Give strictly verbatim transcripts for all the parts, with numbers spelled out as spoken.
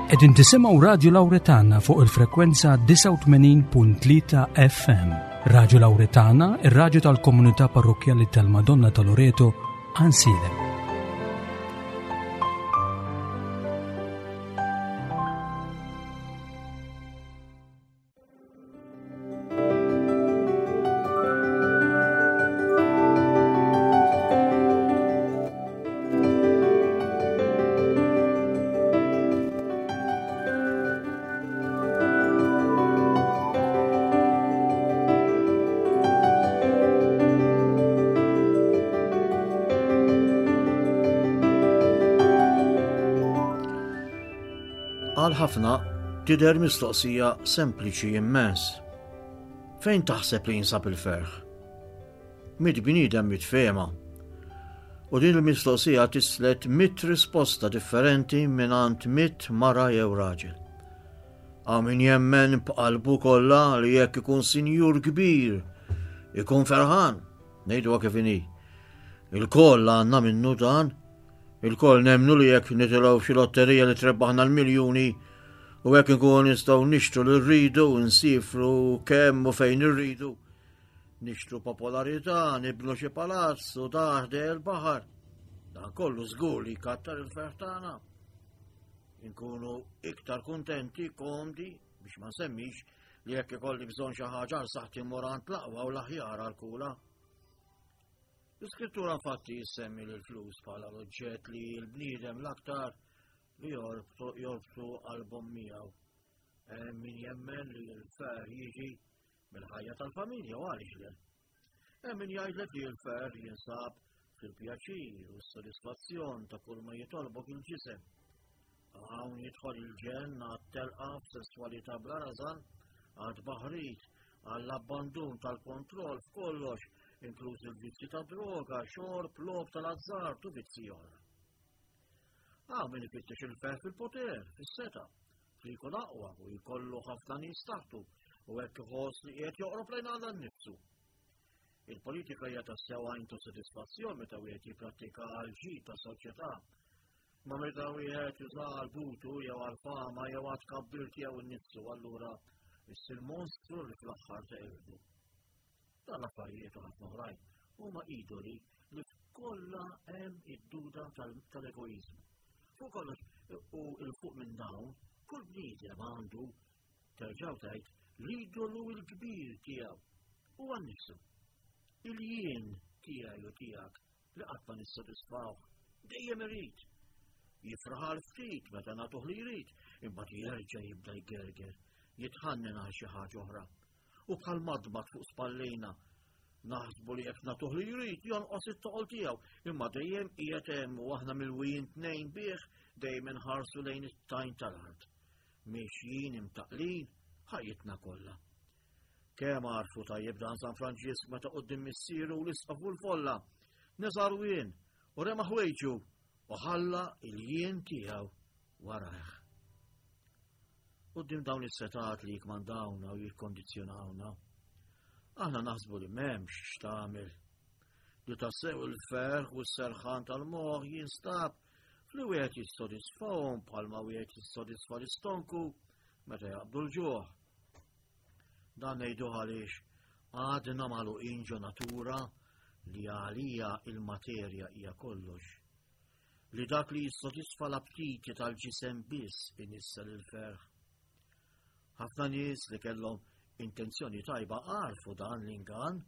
Qegħdin tisimgħu Radio Lauretana fuq il-frekwenza disgħa u tmenin punt tlieta F M. Radio Lauretana, ir-radju tal-Komunità Parrokkjali tal-Madonna ta' Loreto, Għajnsielem. Għal ħafna tidher mistoqsija sempliċi immens. Fejn taħseb li jinsab il-ferħ? Mitt bniedem mitt fehma. U din il-mistoqsija tislet mitt risposta differenti mingħand mitt mara jew raġel. Hawn min jemmen b'qalbu kollha li jekk ikun sinjur kbir, ikun ferħan, ngħiduha kif inhi. Il-koll għandna minnu dan, il-koll nemnu li jekk nitilgħu f'xi lotterija li trebbaħna l-miljuni u jekk inkunu nistgħu nixtru li rridu u nsifru kemm u fejn irridu, nixtru popolarità, nibnu xi palazz u taħdel il-baħar. Dan kollu żgur li jkattar il-ferħ tagħna. Inkunu iktar kuntenti, komdi, biex ma nsemmix li jekk ikolli bżonn xi ħaġa għal saħħti mmur għand l-aqwa u l-aħjar għal kula. L-iskrittura infatti jissemmi l-flus bħala l-oġġett li l-bniedem l-aktar li jorbtu, jorbtu qalbhom miegħu. Hemm min jemmen li l-ferħ jiġi mill-ħajja tal-familja u għaliex le. Hemm min jgħidlek li l-ferħ jinsab fil-pjaċir u s-sodisfazzjon ta' kull ma jitolbok il-ġisem. Hawn jidħol il-ġenn għat-telqa f'sesswalità bla rażan, għad baħrit, għall-abbandun tal-kontroll f'kollox, inkluż il-vizzi ta' droga, xorb, logħob tal-azzard u vizzi oħra. Hawn min ifittex il-ferħ fil-poter, fis-seta, fli jkun aqwa u jkollu ħafna nies taħtu u hekk iħoss li qiegħed joqrob lejn Alla nnifsu. Il-politika hija tassew għajn ta' sodisfazzjon meta wieħed jipprattika għal ġid ta' soċjetà. Ma meta wieħed juża għal butu jew għal fama jew għal tkabbir tiegħu nnifsu, allura issir monstru li fl-aħħar teqirdu. Dan l-affarijiet u ħafna oħrajn huma idoli li f'kollha hemm id-duda tal-, tal-egoiżmu. Fuq kollox u l fuq minn dawn, kull bniedem għandu terġgħu tgħid l-idolu l-kbir tiegħu huwa nnifsu. Il-jien tiegħi u tiegħek li qatt ma nissodisfawh dejjem irid. Jifraħ għal ftit meta nagħtuh li jrid, imbagħad jerġa' jibda jgerger, jitħannen għal xi ħaġa oħra. U bħal madmad fuq spallejna, naħsbu li jekk nagħtuh li jrid jonqos it-toqol tiegħu, imma dejjem qiegħed hemm u aħna milwijin tnejn bih dejjem inħarsu lejn it-tajn tal-art. Mixjin imtaqlin ħajjitna kollha. Kemm għarfu tajjeb dan San Franġisk meta quddiem missieru u l-isqof u l-folla, neżar wien u rema ħwejġu u ħalla il-jien tiegħu warajh. Quddiem dawn is-setat li jikmandawna u jikkondizzjonawna, aħna naħsbu li m'hemmx x'tagħmel. Li tassew il-ferħ u s-serħan tal-moħħ jinstab fli wieħed jissodisfahom bħalma wieħed jissodisfa l-istonku meta jaqbdu l-ġuħ. Dan ngħidu għaliex għadna magħluqin ġo natura li għalija il-materja hija kollox. Li dak li jissodisfa l-aptiti tal-ġisem biss inissel il-ferħ. Ħafna nies li kellhom intenzjoni tajba għarfu dan l-ingann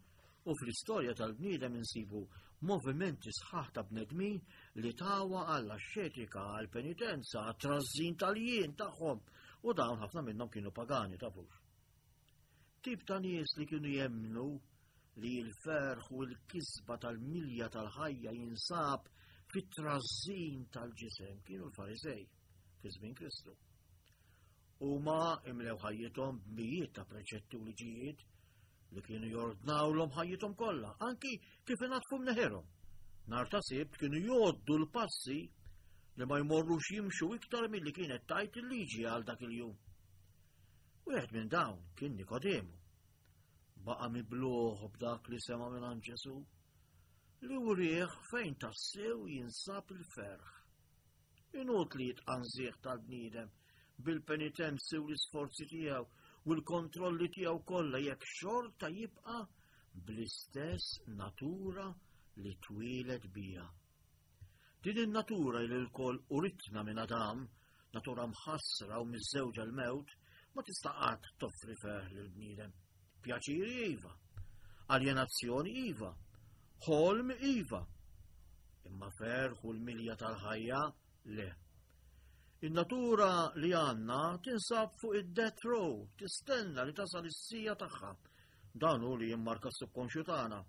u fl-istorja tal-bniedem insibu movimenti sħaħ ta' bnedmin li tawa għall-axxetika, għall-penitenza, għat-trażżin tal-jien tagħhom u dawn ħafna minnhom kienu pagani tafux. Tip ta' nies li kienu jemmnu li l-ferħ u l-kisba tal-milja tal-ħajja jinsab fit-trażżin tal-ġisem kienu l-Farisej fi żmien Kristu. Huma imlew ħajjithom b'mijiet ta' preċetti u liġijiet li kienu jordnawlhom ħajjithom kollha, anki kif ingħatfu mneħirhom. Nhar ta' Sibt kienu jgħoddu l-passi li ma jmorrux jimxu iktar milli kienet tajt il-liġi għal dak il-jum. Wieħed minn dawn kien Nikodemu. Baqa' mibluħ b'dak li sema' minn Ġesù, li wrieħ fejn tassew jinsab il-ferħ. Inutli jitqanżieħ tal-bniedem bil-penitenzi u l-isforzi tiegħu u l-kontrolli tiegħu kollha jekk xorta jibqa' bl-istess natura li twieled biha. Din in-natura li lkoll uritna minn Adam, natura mħassra u miżżewġa l-mewt, ma tista' qatt toffri ferħ lill-bniedem. Pjaċiri iva, aljenazzjoni iva, ħolm iva, imma ferħ u l-milja tal-ħajja le. In-natura li għandna tinsab fuq id-death row, tistenna li tasal is-siegħa tagħha. Dan hu li jimmarka s-subkonxju tagħna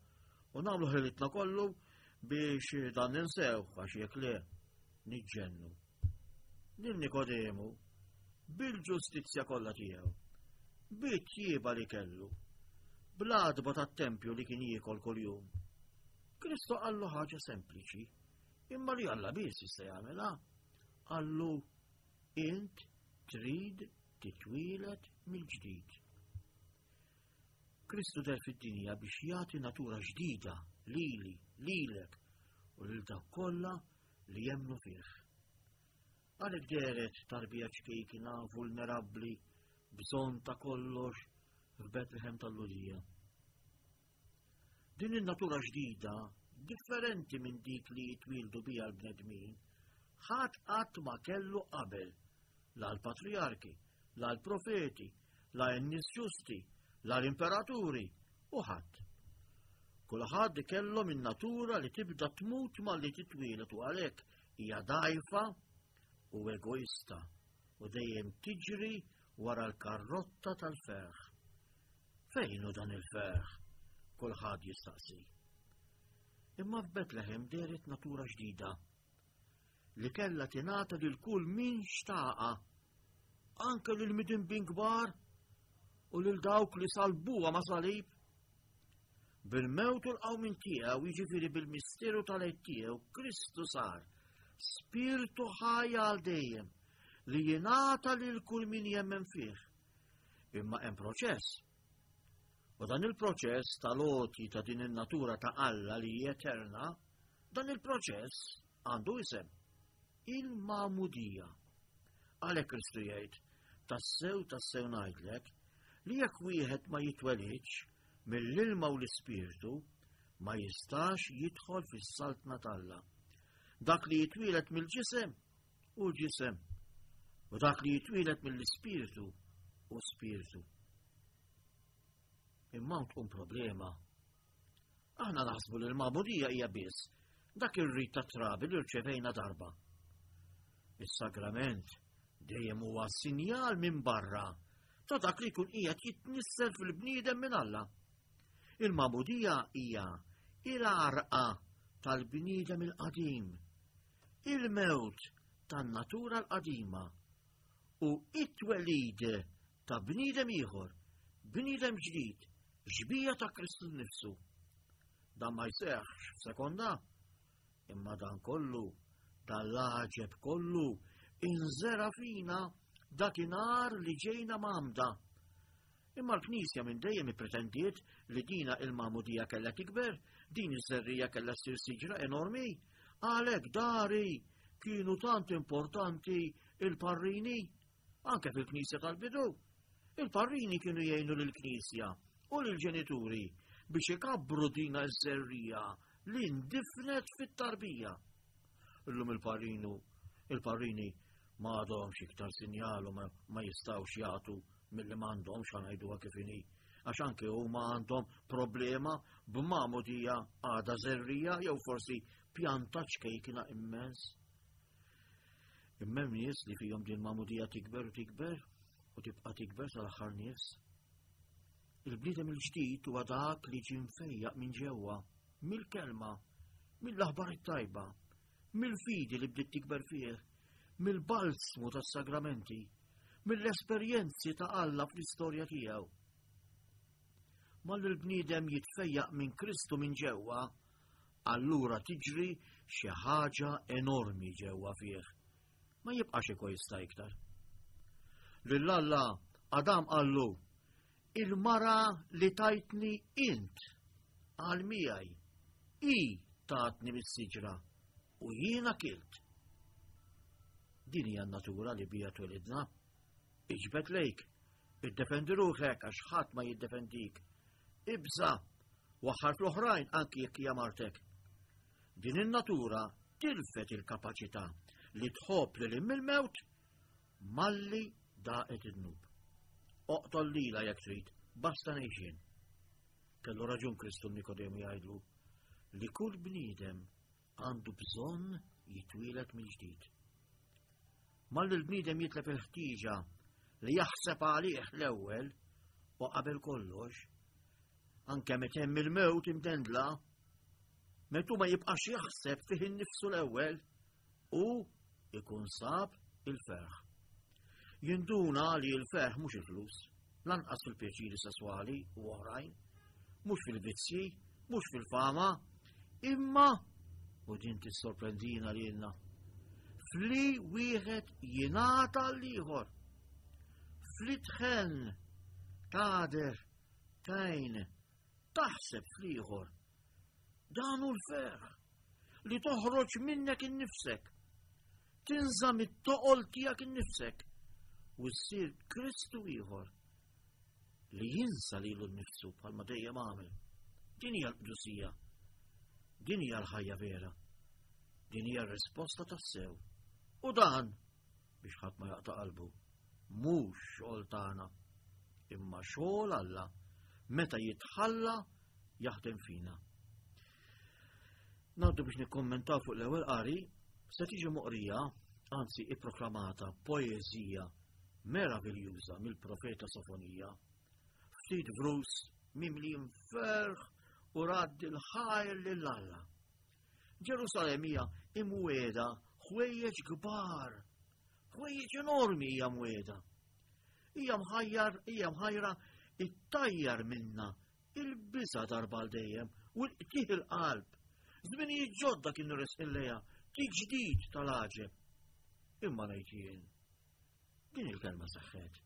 u nagħmlu ħilitna kollu biex dan ninsew għax jekk le niġġennu. Lil Nikodemu bil-ġustizzja kollha tiegħu, bit-tjieba li kellu, bl-għadba tat-tempju li kien jiekol kuljum. Kristu qallu ħaġa sempliċi, imma li Alla biss jista' jagħmilha. Qallu int trid titwieled mill-ġdid. Kristu deher fid-dinja biex jagħti natura ġdida lili, lilek u lil dawk kollha li jemmnu fih. Għalhekk dehret tarbija ċkejkina, vulnerabbli, bżonn ta' kollox f'Betlehem tal-Lhudija. Din in-natura ġdida, differenti minn dik li jitwieldu biha l-bnedmin, ħadd qatt ma kellu qabel, la l-patrijarki, la l-profeti, la n-nies ġusti, la l-imperaturi, u ħadd. Kulħadd kellhom in-natura li tibda tmut malli titwieled u għalhekk hija dgħajfa u egoista u dejjem tiġri wara l-karrotta tal-ferħ. Fejn hu dan il-ferħ? Kulħadd jistaqsi. Imma f'Betlehem dehret natura ġdida li kellha tingħata lil kull min xtaqa, anke lil midinbin kbar u lil dawk li salbuha ma' salib. Bil-mewt u l-qawmien tiegħu, jiġifieri bil-misteru tal-għid tiegħu, Kristu sar spirtu ħaj għal dejjem li jingħata lil kull min jemmen fih. Imma hemm proċess. U dan il-proċess tal-għoti ta' din in-natura ta' Alla li hi eterna, dan il-proċess għandu isem: il-magħmudija. Għalhekk Kristu jgħid, tassew tassew ngħidlek li jekk wieħed ma jitwelidx mill-ilma u l-ispirtu, ma jistax jidħol fis-saltna t'Alla. Dak li jitwieled mill-ġisem hu ġisem, u dak li jitwieled mill-ispirtu hu spirtu. Imma tkun problema. Aħna naħsbu li l-magħmudija hija biss dak ir-rit ta' trabi li rċevejna darba. Is-sagrament dejjem huwa sinjal minn barra ta' dak li jkun qiegħed jitnissel fil-bniedem minn Alla. Il-magħmudija hija il-għarqa tal-bniedem il-qadim, il-mewt tan-natura l-qadima u it-twelid ta' bniedem ieħor, bniedem ġdid, xbieha ta' Kristu nnifsu. Dan ma jseħħx f'sekonda, imma dan kollu, dan l-għaġeb kollu, inżera fina dakinhar li ġejna mgħammda. Imma l-Knisja minn dejjem ippretendiet li dina il-magħmudija kellha tikber, din iż-żerrija kellha ssir siġra enormi, għalhekk dari kienu tant importanti il-parrini, anke fil-Knisja tal-bidu. Il-parrini kienu jgħinu lill-Knisja u lill-ġenituri biex ikabbru dina iż-żerrija li ndifnet fit-tarbija. Illum il-parrinu, il-parrini ma għadhomx iktar sinjal u ma, ma jistgħux jagħtu milli m'għandhomx, ħa ngħiduha kif inhi, għax anke huma għandhom problema b'magħmudija għadha żerrija jew forsi pjanta ċkejkina immens. Imma hemm nies li fihom din magħmudija tikber u tikber u tibqa' tikber sal-aħħar nies. Il-bniedem il-ġdid huwa dak li ġie mfejjaq minn ġewwa, mill-kelma, mill-aħbar it-tajba, mill-fidi li bdiet tikber fih, mill-balsmu tas-sagramenti, mill-esperjenzi ta' Alla fl-istorja tiegħu. Malli l-bniedem jitfejjaq minn Kristu minn ġewwa, allura tiġri xi ħaġa enormi ġewwa fih. Ma jibqax egoista iktar. Lil Alla Adam qallu, il-mara li tajtni int għal miegħi, i tatni mis-siġra u jiena kilt. Din hija n-natura li bija twelidna. Iġbed lejk, iddefendi ruħek għax ħadd ma jiddefendik. Ibża, waħħar fl-oħrajn anki jekk hija martek. Din in-natura tilfet il-kapaċità li tħobb lil mill-mewt malli daqet id-dnub. Oqtol lila jekk trid, basta ngħix. Kellu raġun Kristu Nikodemu jgħidlu li kull bniedem għandu bżonn jitwieled mill-ġdid. Malli l-bniedem jitlef il-ħtieġa li jaħseb għalih l-ewwel u qabel kollox, anke meta hemm il-mewt imdendla, meta ma jibqax jaħseb fih innifsu l-ewwel u ikun sab il-ferħ. Jinduna li l-ferħ mhux il-flus, lanqas fil-pjaċiri sesswali u oħrajn, mhux fil-vizzji, mhux fil-fama, imma u din tissorprendina lilna, fli wieħed jingħata l-ieħor, fli tħenn, tagħder, tajn, taħseb fl-ieħor. Dan hu l-ferħ li toħroġ minnek innifsek, tinża' mit-toqol tiegħek innifsek u ssir Kristu ieħor li jinsa lilu nnifsu bħalma dejjem għamel. Din hija l-qdusija, din hija l-ħajja vera, din hija r-risposta tas-sew. U dan biex ħadd ma jaqta' qalbu, mhux xogħol tagħna, imma xogħol Alla meta jitħalla jaħdem fina. Ngħaddu biex nikkommentaw fuq l-ewwel qari, se tiġi moqrija, anzi ipproklamata poeżija meraviljuża mill-profeta Sofonija. Ftit vrus mimlijin ferħ u radd il-ħajr lil Alla. Ġerusalemm hija imwiegħda ħwejjeġ kbar, ħwejjeġ enormi hija mwiegħda. Hija mħajjar, hija mħajra ittajjar minna il-biża' darba għal dejjem u l-qtih il-qalb. Żminijiet ġodda kienu resqin lejha, tiġdid tal-għaġeb. Imma ngħid jien, din il-kelma seħħet.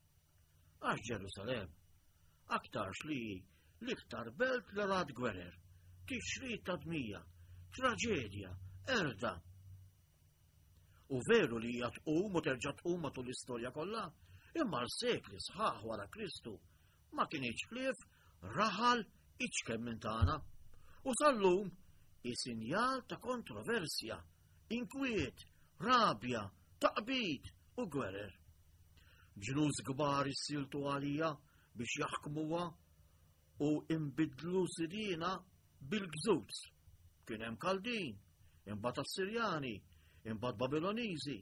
Għax Ġerusalemm aktarx li l-iktar belt li rat gwerer, tixrid ta' dmija, traġedja, erda. U veru li hija tqum u terġa' tqum matul l-istorja kollha, imma l-sekli sħaħ wara Kristu ma kienx ħlief raħal iċken minn tagħna. U sal-lum hi sinjal ta' kontroversja, inkwiet, rabja, taqbid u gwerer. Ġnus kbar issiltu għalija biex jaħkmuha u imbidlu sidina bil-gżuz. Kien hemm Kaldin, imbagħad Assirjani, imbagħad Babiloniżi,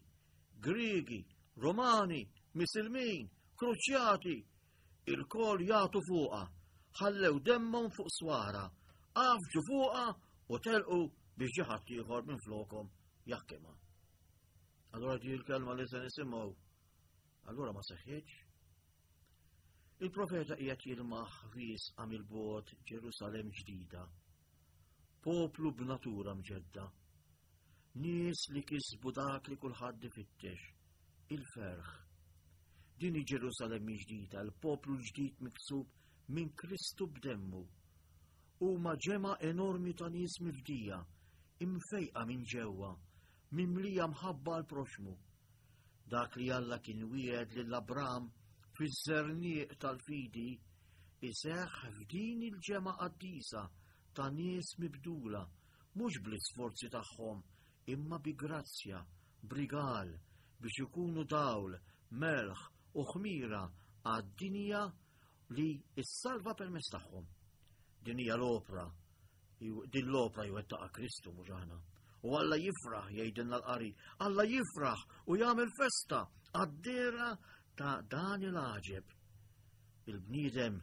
Griegi, Romani, Misilmin, Kruċjati, il-kol jagħtu fuqha, ħallew demmhom fuq swara, għafġu fuqha u telqu biex ġi ħadd ieħor minn flokhom jaħkimha. Allura di l-kelma li se nisimgħu, allura ma seħħitx. Il-profeta qiegħed jilmaħ riesqa mill-bogħod Ġerusalemm ġdida, poplu b'natura mġedda, nies li kisbu dak li kulħadd ifittex, il-ferħ. Din hi Ġerusalemm ġdida, l-poplu ġdid miksub minn Kristu b'demmu. Huma ġemgħa enormi ta' nies mifdija, imfejqa minn ġewwa, mimlija mħabba għal proxmu. Dak li Alla kien wiegħed lil Abram fiż-żerniq tal-fidi iseħħ f'din il-ġemgħa qaddisa ta' nies mibdula, mhux bl-isforzi tagħhom, imma bi grazzja, b'rigal, biex ikunu dawl, melħ u ħmira għad-dinja li issalva permezz tagħhom. Din hija l-opra, din l-opra jwettaqha Kristu mhux aħna. U Alla jifraħ, jgħidilna l-qari, Alla jifraħ u jagħmel festa għad-dehra ta' dan il-għaġeb. Il-bniedem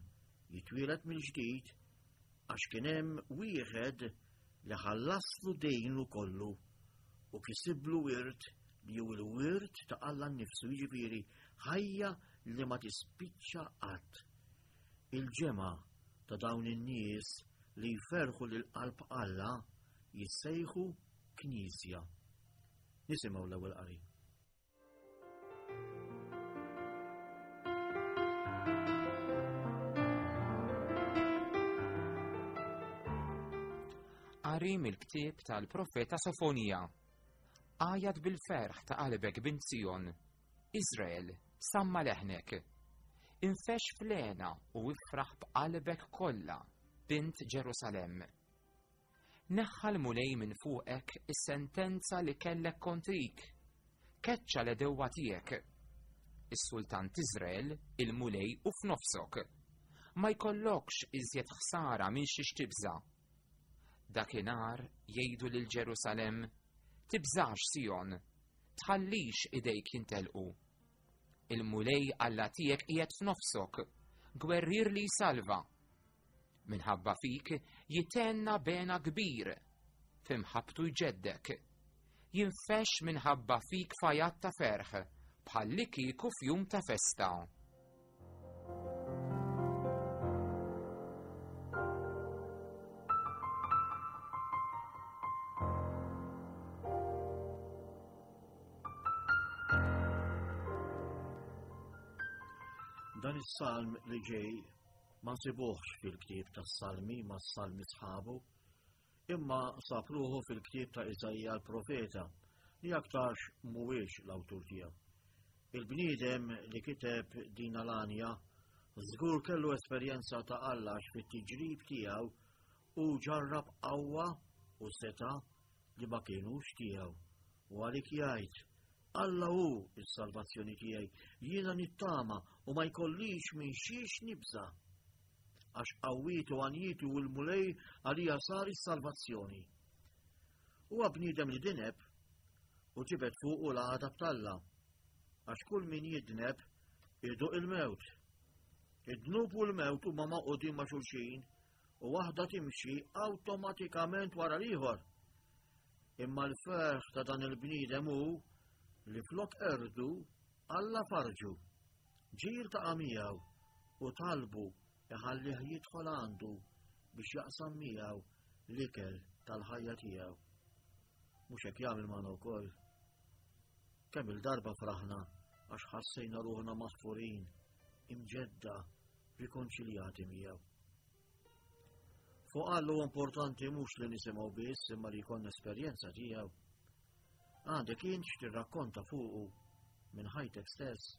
jitwieled mill-ġdid għax kien hemm wieħed li ħallaslu dejnu kollu u kisiblu wirt li hu l-wirt ta' Alla nnifsu, jiġifieri ħajja li ma tispiċċa qatt. Il-ġemgħa ta' dawn in-nies li jferħu lil qalb Alla jissejħu Knisja. Nisimgħu l-ewwel qari. Qari mill-ktieb tal-profeta Sofonija. Għajat bil-ferħ ta' qalbek bint Sion, Izrael, Samma leħnek. Infex flena u ifraħ b'qalbek kollha, bint Ġerusalemm. Neħħa l-Mulej minn fuqek is-sentenza li kellek kontrik. Keċċa l-edewwa tiegħek. Is-sultan t'Iżrael, il-Mulej u f'nofsok. Ma jkollokx iżjed ħsara minn xi tibża. Dakinhar jgħidu lil Ġerusalemm, tibżax Sijon, tħallix idejk jintelqu. Il-Mulej Alla tiegħek qiegħed f'nofsok, gwerrier li jsalva. Minħabba fik jitenna bena kbir, f'imħabbtu jġeddek. Jinfex minħabba fik fajat ta' ferħ, bħalli kieku f'jum ta' festa. Dan is-salm li ġej ma nsibuhx fil-ktieb tas-Salmi ma' salmi sħabu, imma sab ruħu fil-ktieb ta' Iżaija l-profeta li aktarx mhuwiex l-awtur tiegħu. Il-bniedem li kiteb din l-għanja żgur kellu esperjenza ta' Alla fit-tiġrib tiegħu u ġarrab qawwa u seta' li ma kienux tiegħu. U għalik jgħid, Alla hu s-salvazzjoni tiegħi, jiena nittama u ma jkollix minn xiex nibża. Għax qawwietu għanjitu u l-Mulej għalija sar is-salvazzjoni. Huwa bniedem li dineb u ġibed fuqu l-għadab t'Alla. Għax kull min jidneb iduq il-mewt. Id-dnub u l-mewt huma maqudin ma' xulxin u waħda timxi awtomatikament wara l-ieħor. Imma l-ferħ ta' dan il-bniedem hu li flok erdu Alla farġu. Ġir ta' miegħu u talbu iħallih jidħol għandu biex jaqsam miegħu l-ikel tal-ħajja tiegħu. Mhux hekk jagħmel magħna wkoll. Kemm il-darba fraħna għax ħassejna ruħna maħfurin, imġedda, rikonċiljati miegħu. Fuq Alla huwa importanti mhux li nisimgħu biss imma li jkollna esperjenza tiegħu. Għandek int x'tirrakkonta fuqu minn ħajtek stess.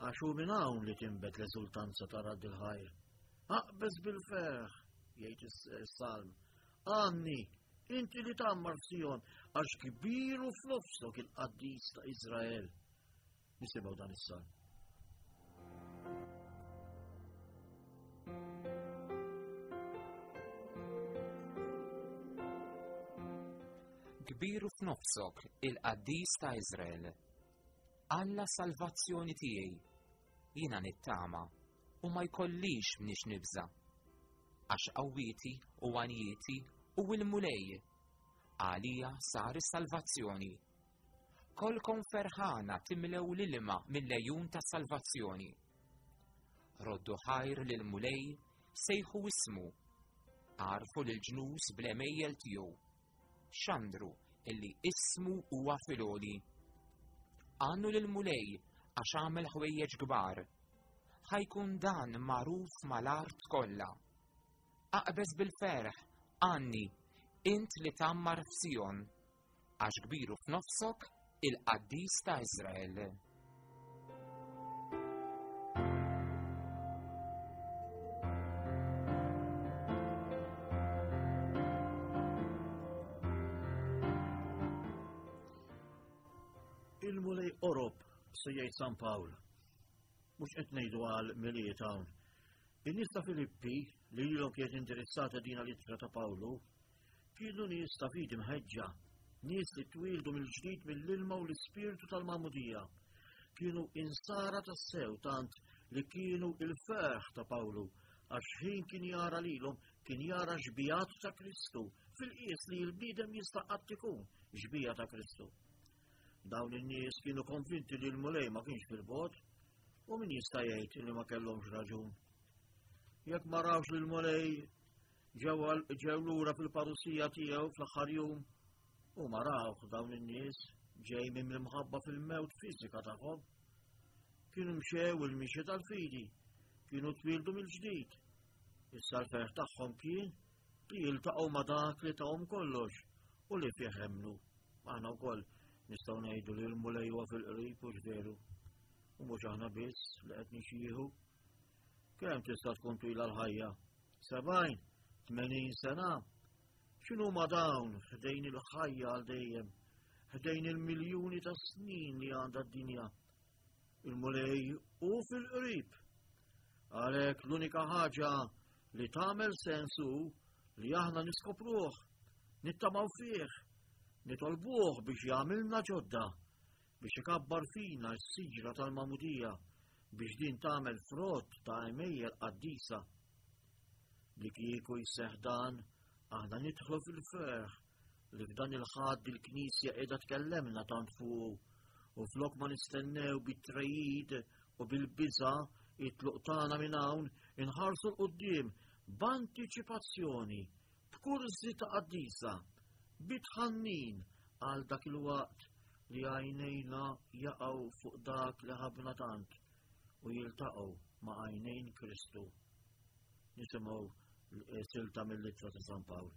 Għax hu minn hawn li tinbet l-eżultanza ta' radd il-ħajr. Aqbeż bil-ferħ, jgħid is-salm. Għanni, inti li tgħammar f'Sijon, għax kbir u f'nofsok il-qaddis ta' Iżrael. Nisimgħu dan is-salm. Kbir u f'nofsok il-qaddis ta' Iżrael. Alla salvazzjoni tiegħi, jiena nittama u ma jkollix mniex nibża. Għax qawwieti u għanjieti u l-Mulej, għalija sar is-salvazzjoni. Kolkom ferħana timlew l-ilma mill-lejun ta' salvazzjoni. Roddu ħajr lill-Mulej, sejħu ismu, għarfu lil-ġnus bl-għemejjel tiegħu. Xandru illi ismu huwa fil-għoli. Għannu lill-Mulej għax għamel ħwejjeġ kbar. Ħajkun dan magħruf mal-art kollha. Aqbeż bil-ferħ, għanni, int li tgħammar f'Sijon, għax kbiru f'nofsok il-qaddis ta' Iżrael. Il-Mulej qorob, se jgħid San Pawl. Mhux qed ngħidu għal Milied hawn. In-nies ta' Filippi li lilhom kienet indirizzata din l-ittra ta' Pawlu, kienu nies ta' fidi mħeġġa, nies li twieldu mill-ġdid mill-ilma u l-ispirtu tal-magħmudija. Kienu insara tas-sew tant li kienu il-ferħ ta' Pawlu, għax ħin kien jara lilhom kien jara xbijat ta' Kristu, fil-qies li l-bniedem jista' qatt ikun xbija ta' Kristu. Dawn in-nies kienu konvinti li l-Mulej ma kienx fil-bogħod, u min jista' jgħid li ma kellhomx raġun. Jekk ma rawx li l-Mulej ġew lura fil-parusija tiegħu fl-aħħar jum, u ma rawx dawn in-nies ġej minn l-imħabba fil-mewt fiżika tagħhom. Kienu mxew il-mixi tal-fidi, kienu twieldu mill-ġdid. Issa l-ferħ tagħhom kien li jiltaqgħu ma' dak li tahom kollox u li fih emmnu. Aħna wkoll nistgħu ngħidu li l-Mulej huwa fil-qrib u veru. U mhux aħna biss li qed nixjieħu. Kemm tista' tkun twila l-ħajja? Sebgħin, tmenin sena. X'inhu ma dawn ħdejn il-ħajja għal dejjem, ħdejn il-miljuni ta' snin li għandha d-dinja. Il-Mulej hu fil-qrib. Għalhekk l-unika ħaġa li tagħmel sens hu li aħna niskopruh, nittamaw fih, nitolbuh biex jagħmilna ġodda, biex ikabbar fina s-siġra tal-magħmudija, biex din tagħmel frott ta' għemejjel qaddisa. Li kieku jseħħ dan, aħna nidħlu fil-ferħ li f'dan il-ħadd il-Knisja qiegħda tkellemna tant fuq, u flok ma nistennew bit-trejid u bil-biża' it-tluq tagħna minn hawn, inħarsu 'l quddiem b'antiċipazzjoni, b'kurżità qaddisa, bitħannin għal dak il-waqt li għajnejna jaqgħu fuq dak li ħabna tant u jiltaqgħu ma' għajnejn Kristu. Nisimgħu silta mill-ittra ta' San Pawl.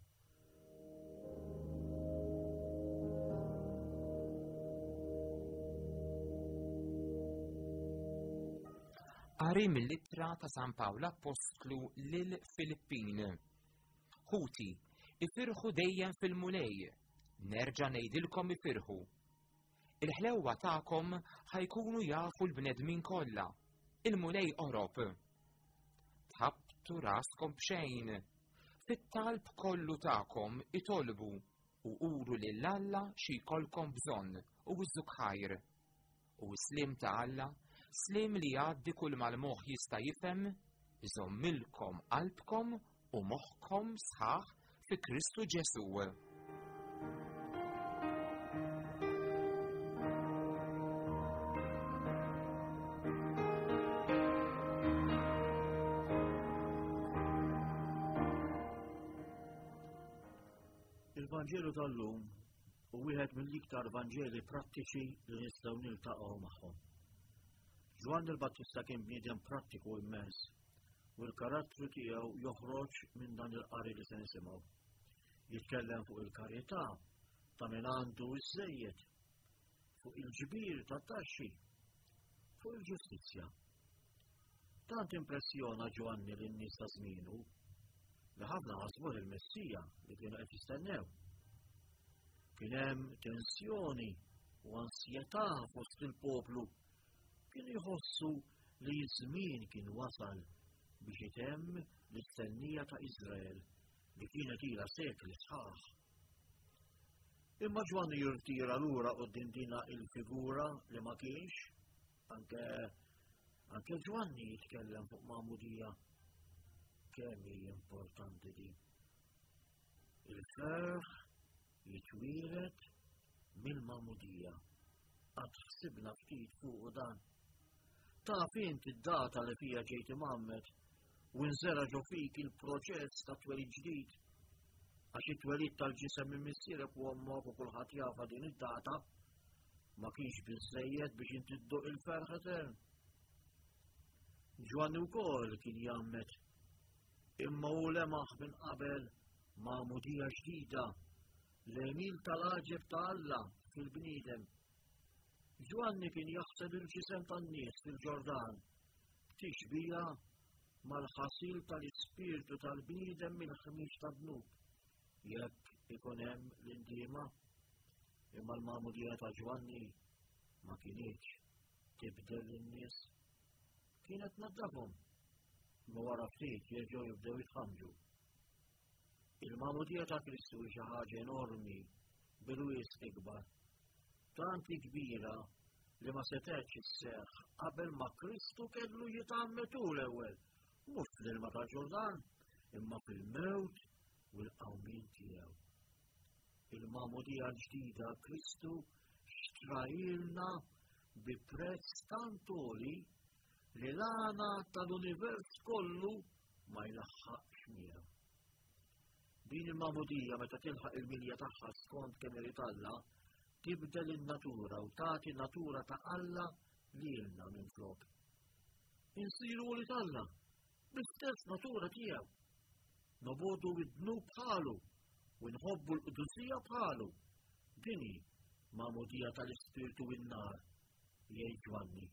Qari mill-ittra ta' San Pawl Appostlu lil Filippin. Ħuti, ifirħu dejjem fil-Mulej, nerġa' ngħidilkom ifirħu. Il-ħlewwa tagħkom ħajkunu jafu l-bnedmin kollha. Il-Mulej qorob. Tħabbtu raskom b'xejn. Fit-talb kollu tagħkom itolbu u uru lil Alla xi jkollkom bżonn u iżżuk ħajr. U s-slim ta' Alla, slim li jgħaddi kull mal-moħħ jista' jifhem, iżommilkom qalbkom u moħħkom sħaħ fi Kristu Ġesù. Il-Vanġelu tal-lum hu wieħed mill-iktar Vanġeli prattiċi li nistgħu niltaqgħu magħhom. Ġwanni l-Battista kien bniedem prattiku immens u l-karattru tiegħu joħroġ minn dan il-qari li se nisimgħu. Jitkellem fuq il-karità ta' min għandu iżżejjed, fuq il-ġbir tat-taxxi, fuq il-ġustizzja. Tant impressjona Ġwanni lin-nies ta' żmienu li ħafna ħasbuh il-Messija li kienu qed jistennew. Kien hemm tensjoni u ansjetà fost il-poplu. Kienu jħossu li ż-żmien kien wasal biex itemm l-istennija ta' Iżrael li kienet ilha sekli sħaħ. Imma Ġwanni jirtira lura quddiem dina il-figura li ma kienx, anke anke Ġwanni jitkellem fuq magħmudija. Kemm hi importanti din. Il-ferħ jitwieled mill-magħmudija. Qatt ħsibna ftit fuq dan. Taf int id-data li fija ġejt imgħammed u nżera ġo fik il-proċess ta' twelid ġdid. Għax it-twelid tal-ġisem minn missierek u ommok u kulħadd jafa din id-data ma kienx biżżejjed biex inti dduq il-ferħ etern. Ġwanni wkoll kien jgħammed, imma hu lemaħ minn qabel magħmudija ġdida, l-għemil tal-għaġeb ta' Alla fil-bniedem. Ġwanni kien jaħsel il-ġisem tan-nies fil-Ġordan, tixbija mal-ħasil tal-ispirtu tal-bniedem mill-ħmieġ tad-dnub, jekk ikun hemm l-indiema. Imma l-magħmudija ta' Ġwanni ma kinitx tibdel lin-nies, kienet tnaddafhom, imma wara ftit jerġgħu jibdew jitħamġu. Il-magħmudija ta' Kristu hi xi ħaġa enormi bil-wisq ikbar, tant kbira li ma setgħetx isseħħ qabel ma Kristu kellu jitgħammed hu l-ewwel, mhux fl-ilma tal-Ġordan, imma fil-mewt u l-qawmien tiegħu. Il-magħmudija l-ġdida Kristu xtrajilna bi prezz tant għoli li l-għana tal-univers kollu ma jlaħħaqx miegħu. Din il-magħmudija meta tilħaq il-milja tagħha skont kemm irid Alla, tibdel in-natura u tagħti natura ta' Alla lilna minflok. Insiru wlied Alla bl-istess natura tiegħu. Nobodu id-dnub bħalu u nħobbu l-qdusija bħalu. Din hi magħmudija tal-Ispirtu in-nar, jgħid Ġwanni.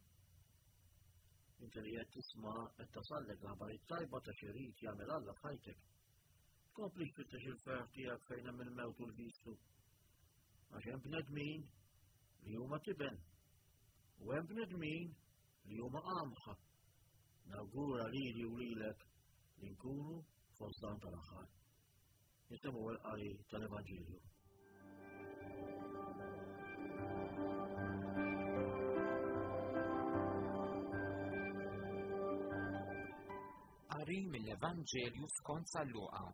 Inti li qed tisma' qed tasallek l-aħbar it-tajba ta' xi jrid jagħmel Alla f'ħajtek. Tkompli tfittex il-ferħ tiegħek fejn hemm il-mewt u l-vistu. Għax hemm bnedmin li huma tiben u hemm bnedmin li huma qamħa. Nawgura lili u lilek li nkunu fost dawn tal-aħħar. Nisimgħu l-qari tal-Evanġelju. Qari mill-Evanġelju skont San Luqa.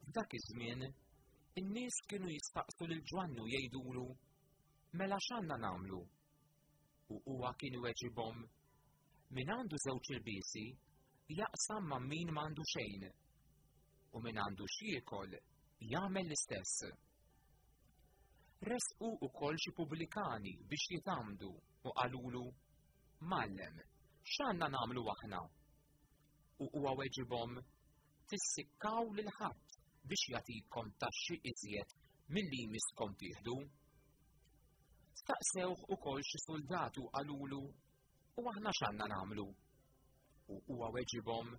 F'dak iż-żmien, in-nies kienu jistaqsu lil Ġwannu jgħidulu: "Mela x'għandna nagħmlu?" U huwa kien iweġibhom: "Min għandu żewġ ilbiesi jaqsam ma' min m'għandu xejn, u min għandu x'jiekol jagħmel l-istess." Resqu wkoll xi pubblikani biex jitgħammdu u qalulu: "Mgħallem, x'għandna nagħmlu aħna?" U huwa weġibhom: "Tissikkaw lil ħadd biex jagħtikom taxxi iżjed milli jmisskom tieħdu." Staqsewh ukoll xi soldati u qalulu: "U aħna x'għandna nagħmlu?" U huwa weġibhom: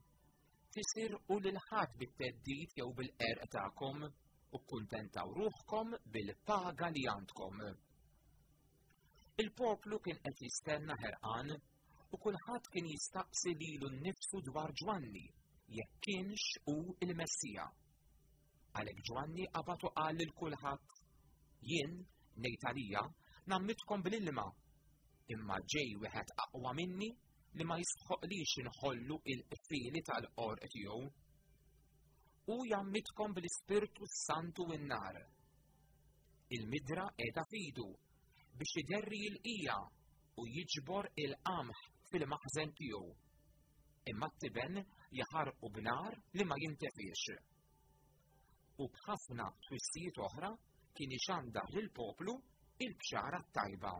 "Tisirqu lil ħadd bit-theddid jew bil-qerq tagħkom u kkuntentaw ruħkom bil-paga li għandkom." Il-poplu kien qed jistenna ħerqan u kulħadd kien jistaqsi lilu nnifsu dwar Ġwanni jekk kienx hu il-Messija. Għalhekk Ġwanni qabad u qal lil kulħadd: "Jien ngħid għalija ngħammidkom bl-ilma, imma ġej wieħed aqwa minni li ma jistħoqlix inħollu il-qfieli tal-qorq tiegħu. U jgħammidkom bl-Ispirtu Santu u n-nar. Il-midra qiegħda f'idu biex iderri l-qija u jiġbor il-qamħ fil-maħżen tiegħu, imma t-tiben jaħarqu b'nar li ma jintefiex." U b'ħafna twissijiet oħra kien ixandar lill-poplu il-bxara t-tajba.